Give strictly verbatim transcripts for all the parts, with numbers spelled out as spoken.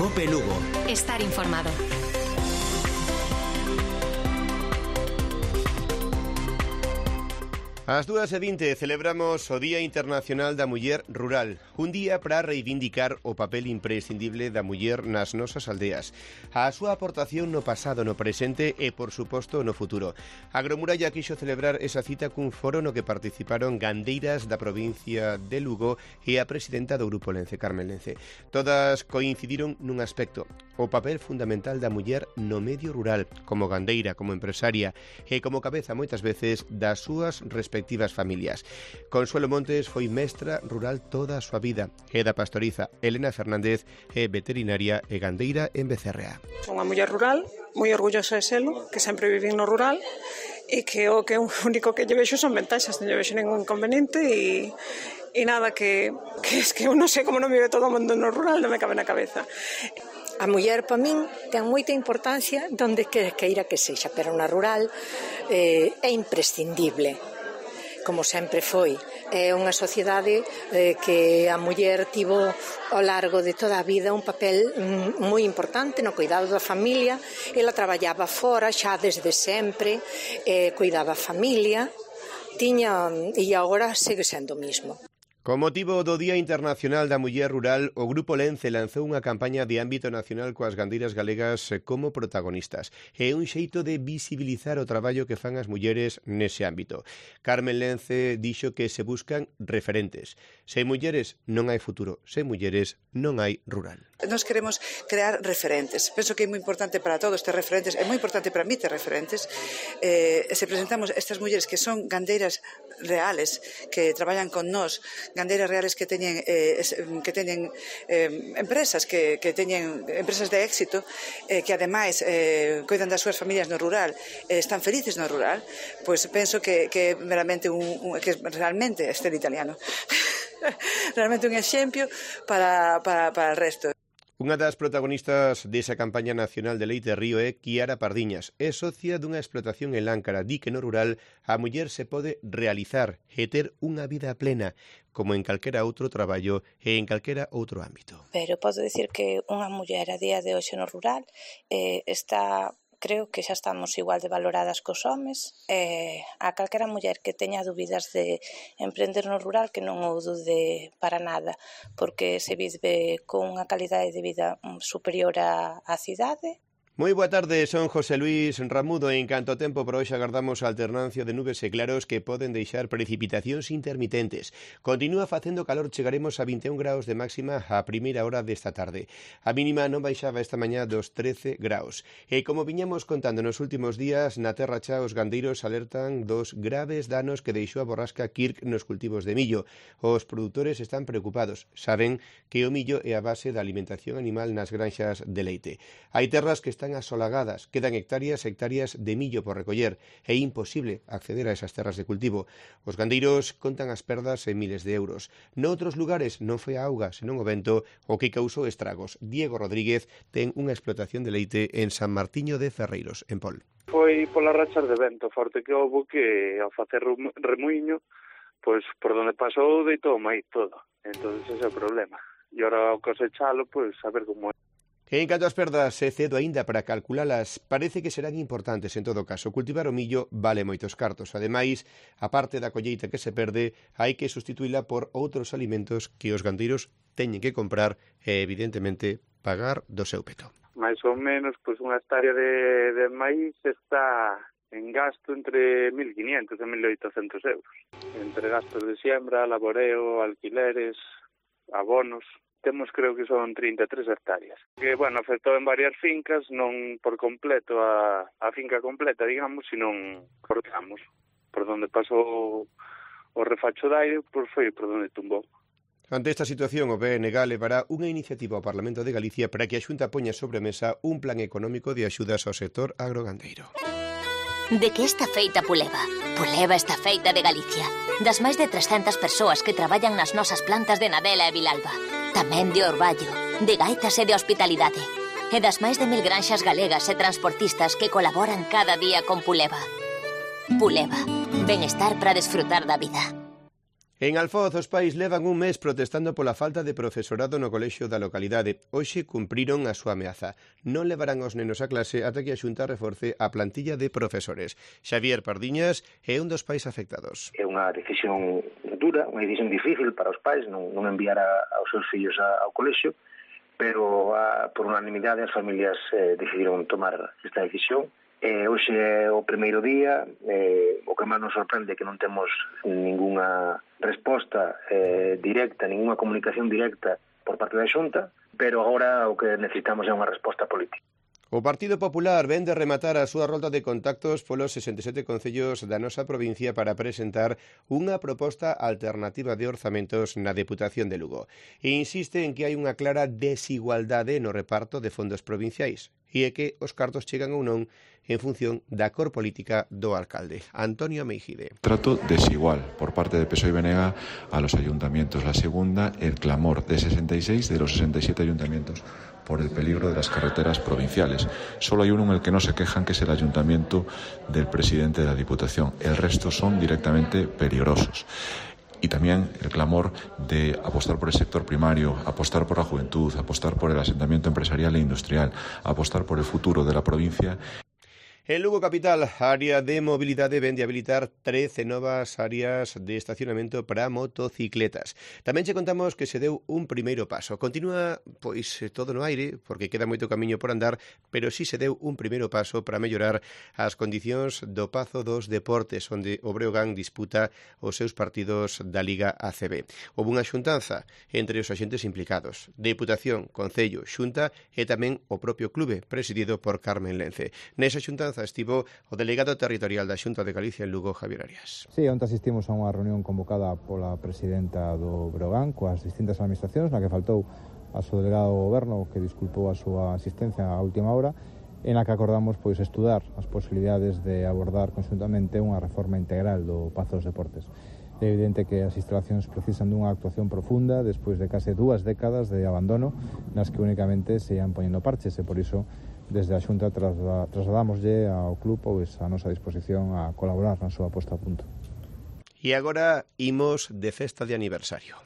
COPE Lugo. Estar informado. Ás dúas e vinte celebramos o Día Internacional da Muller Rural, un día para reivindicar o papel imprescindible da muller nas nosas aldeas, a súa aportación no pasado, no presente e, por suposto, no futuro. A Agromuralla quixo celebrar esa cita cun foro no que participaron gandeiras da provincia de Lugo e a presidenta do Grupo Lence, Carmen Lence. Todas coincidiron nun aspecto, o papel fundamental da muller no medio rural, como gandeira, como empresaria e como cabeza moitas veces das súas respectivas respectivas familias. Consuelo Montes foi mestra rural toda a súa vida e da pastoriza. Elena Fernández é veterinaria e gandeira en Becerrea. Son unha muller rural, moi orgullosa de selo, que sempre vivín no rural e que o que o único que lle vexo son ventaxas, non lle vexo ningún inconveniente e e nada que, que es que eu non sei como non vive todo o mundo no rural, non me cabe na cabeza. A muller, para min, ten moita importancia donde queira que sexa, pero na rural eh, é imprescindible, como sempre foi. É unha sociedade eh, que a muller tivo ao largo de toda a vida un papel mm, moi importante no cuidado da familia. Ela traballaba fora xa desde sempre, eh, cuidaba a familia, tiña, e agora segue sendo o mismo. Con motivo do Día Internacional da Muller Rural, o Grupo Lence lanzou unha campaña de ámbito nacional coas gandeiras galegas como protagonistas. É un xeito de visibilizar o traballo que fan as mulleres nese ámbito. Carmen Lence dixo que se buscan referentes. Sen mulleres non hai futuro, sen mulleres non hai rural. Nos queremos crear referentes. Penso que é moi importante para todos ter referentes, é moi importante para mí ter referentes. Eh, se presentamos estas mulleres que son gandeiras reales, que traballan con nós, gandeiras reales que teñen eh, que teñen eh, empresas que, que teñen empresas de éxito, eh, que ademais eh, cuidan das súas familias no rural, eh, están felices no rural, pois penso que, que é meramente un, un que realmente este italiano realmente un exemplo para, para, para o resto. Unha das protagonistas desa campaña nacional de Leite Río é Kiara Pardiñas. É socia dunha explotación en Láncara. Di que no rural a muller se pode realizar e ter unha vida plena, como en calquera outro traballo e en calquera outro ámbito. Pero podo dicir que unha muller a día de hoxe no rural eh, está... creo que xa estamos igual de valoradas cos homes. Eh, a calquera muller que teña dúbidas de emprender no rural que non o dude para nada, porque se vive con unha calidade de vida superior á, á cidade. Moi boa tarde, son José Luis Ramudo e en canto tempo por hoxe agardamos a alternancia de nubes e claros que poden deixar precipitacións intermitentes. Continúa facendo calor, chegaremos a vinte e un graus de máxima a primeira hora desta tarde. A mínima non baixaba esta mañá dos trece graus. E como viñamos contando nos últimos días, na Terra Cha os gandeiros alertan dos graves danos que deixou a borrasca Kirk nos cultivos de millo. Os produtores están preocupados. Saben que o millo é a base da alimentación animal nas granxas de leite. Hai terras que están están asolagadas, quedan hectáreas e hectáreas de millo por recoller. É imposible acceder a esas terras de cultivo. Os gandeiros contan as perdas en miles de euros. Noutros lugares non foi a auga, senón o vento o que causou estragos. Diego Rodríguez ten unha explotación de leite en San Martiño de Ferreiros, en Pol. Foi polas rachas de vento forte que houve que ao facer remuiño, pois por donde pasou deitou o maíz todo. Entón ese é o problema. E ora ao cosechalo, pois a ver como é. En canto ás perdas, é cedo aínda para calculalas, parece que serán importantes en todo caso. Cultivar o millo vale moitos cartos. Ademais, a parte da colleita que se perde, hai que sustituíla por outros alimentos que os gandeiros teñen que comprar e, evidentemente, pagar do seu peto. Mais ou menos, pois unha hectárea de, de maíz está en gasto entre mil quinientos e mil oitocentos euros. Entre gastos de siembra, laboreo, alquileres, abonos... Temos, creo que son trinta e tres hectáreas. Que, bueno, afectou en varias fincas, non por completo a, a finca completa, digamos, senón por tramos. Por donde pasou o refacho de aire, pois foi por donde tumbou. Ante esta situación, o B N G levará unha iniciativa ao Parlamento de Galicia para que a Xunta poña sobre a mesa un plan económico de axudas ao sector agrogandeiro. De que está feita Puleva? Puleva está feita de Galicia. Das máis de trescentas persoas que traballan nas nosas plantas de Nadela e Vilalba. Tamén de Orballo, de Gaitas e de Hospitalidade. E das máis de mil granxas galegas e transportistas que colaboran cada día con Puleva. Puleva, benestar para desfrutar da vida. En Alfoz, os pais levan un mes protestando pola falta de profesorado no colexio da localidade. Hoxe cumpriron a súa ameaza. Non levarán os nenos a clase ata que a Xunta reforce a plantilla de profesores. Xavier Pardiñas é un dos pais afectados. É unha decisión dura, unha decisión difícil para os pais, non, non enviar a, aos seus fillos a, ao colexio, pero a, por unanimidade as familias eh, decidiron tomar esta decisión. Eh, hoxe é o primeiro día, eh, o que máis nos sorprende é que non temos ningunha resposta eh, directa, ningunha comunicación directa por parte da Xunta, pero agora o que necesitamos é unha resposta política. O Partido Popular ven de rematar a súa rolda de contactos polos sesenta e sete concellos da nosa provincia para presentar unha proposta alternativa de orzamentos na Deputación de Lugo. E insiste en que hai unha clara desigualdade no reparto de fondos provinciais e é que os cartos chegan ou non en función da cor política do alcalde. Antonio Meijide. Trato desigual por parte de P S O E y B N G a los ayuntamientos. La segunda, el clamor de sesenta y seis de los sesenta y siete ayuntamientos por el peligro de las carreteras provinciales. Solo hay uno en el que no se quejan, que es el ayuntamiento del presidente de la Diputación. El resto son directamente peligrosos. Y también el clamor de apostar por el sector primario, apostar por la juventud, apostar por el asentamiento empresarial e industrial, apostar por el futuro de la provincia. En Lugo Capital, a área de mobilidade ven de habilitar trece novas áreas de estacionamento para motocicletas. Tamén che contamos que se deu un primeiro paso. Continúa, pois, todo no aire, porque queda moito camiño por andar, pero sí se deu un primeiro paso para mellorar as condicións do Pazo dos Deportes, onde o Breogán disputa os seus partidos da Liga A C B. Houve unha xuntanza entre os axentes implicados, Deputación, Concello, Xunta e tamén o propio clube, presidido por Carmen Lence. Nesa xuntanza estivo o delegado territorial da Xunta de Galicia en Lugo, Javier Arias. Sí, onte asistimos a unha reunión convocada pola presidenta do Breogán coas distintas administracións, na que faltou a súa delegado do goberno, que disculpou a súa asistencia á última hora, en a que acordamos pois estudar as posibilidades de abordar conxuntamente unha reforma integral do Pazo dos Deportes. É evidente que as instalacións precisan dunha actuación profunda despois de case dúas décadas de abandono nas que únicamente se ian poñendo parches, e por iso desde a Xunta trasladámoslle ao club pois a nosa disposición a colaborar na súa posta a punto. E agora imos de festa de aniversario.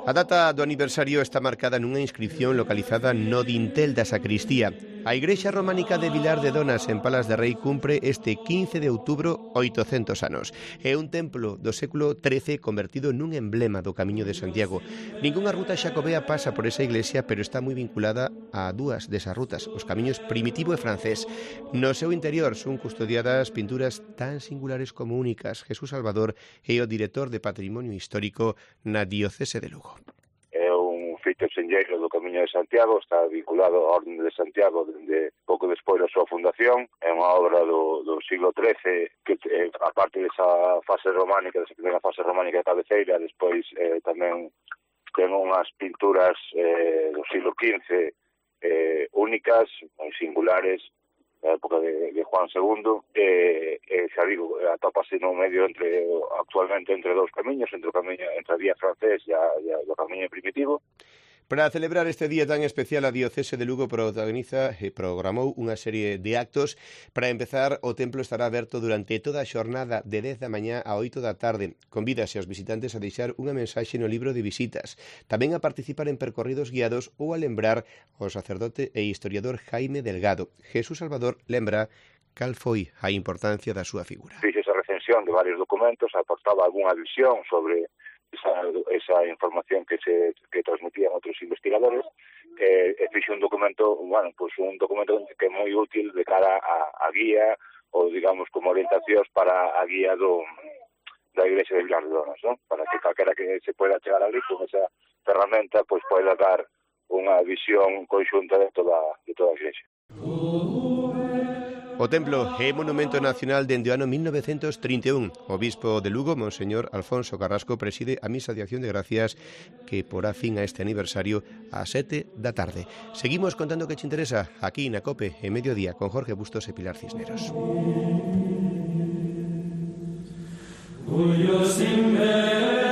A data do aniversario está marcada nunha inscripción localizada no dintel da sacristía. A igrexa románica de Vilar de Donas, en Palas de Rei, cumpre este quince de outubro oitocentos anos. É un templo do século trece convertido nun emblema do Camiño de Santiago. Ningunha ruta xacobea pasa por esa iglesia, pero está moi vinculada a dúas desas rutas, os camiños primitivo e francés. No seu interior son custodiadas pinturas tan singulares como únicas. Jesús Salvador é o director de Patrimonio Histórico na Diocese de Lugo. É un feito senlleiro do Camiño de Santiago, está vinculado á Orden de Santiago dende pouco despois da súa fundación. É unha obra do, do siglo trece que, eh, aparte desa fase románica, desa primeira fase románica de cabeceira, despois eh, tamén ten unhas pinturas eh, do siglo quince eh, únicas, moi singulares, na época de, de Juan segundo, e, e xa digo, atópase no medio entre, actualmente entre dous camiños, entre o camiño, entre a vía francés e, a, e a, o camiño primitivo. Para celebrar este día tan especial, a Diocese de Lugo protagoniza e programou unha serie de actos. Para empezar, o templo estará aberto durante toda a xornada de dez da mañá a oito da tarde. Convídase aos visitantes a deixar unha mensaxe no libro de visitas, tamén a participar en percorridos guiados ou a lembrar o sacerdote e historiador Jaime Delgado. Jesús Salvador lembra cal foi a importancia da súa figura. Fixe esa recensión de varios documentos, aportaba algunha visión sobre esa, esa información que se que transmitían outros investigadores, e, e fixe un documento, bueno, pues un documento que é moi útil de cara a, a guía, ou digamos como orientacións para a guía do da Igrexa de Vilar de Donas, ¿no? Para que calquera que se pueda chegar ali con esa ferramenta, pues poida dar unha visión conxunta de toda de toda a Igrexa. O templo é monumento nacional dende o ano mil novecentos trinta e un. O bispo de Lugo, Monseñor Alfonso Carrasco, preside a misa de acción de gracias que porá fin a este aniversario ás sete da tarde. Seguimos contando que te interesa aquí na COPE en Mediodía con Jorge Bustos e Pilar Cisneros. Uyo sin ver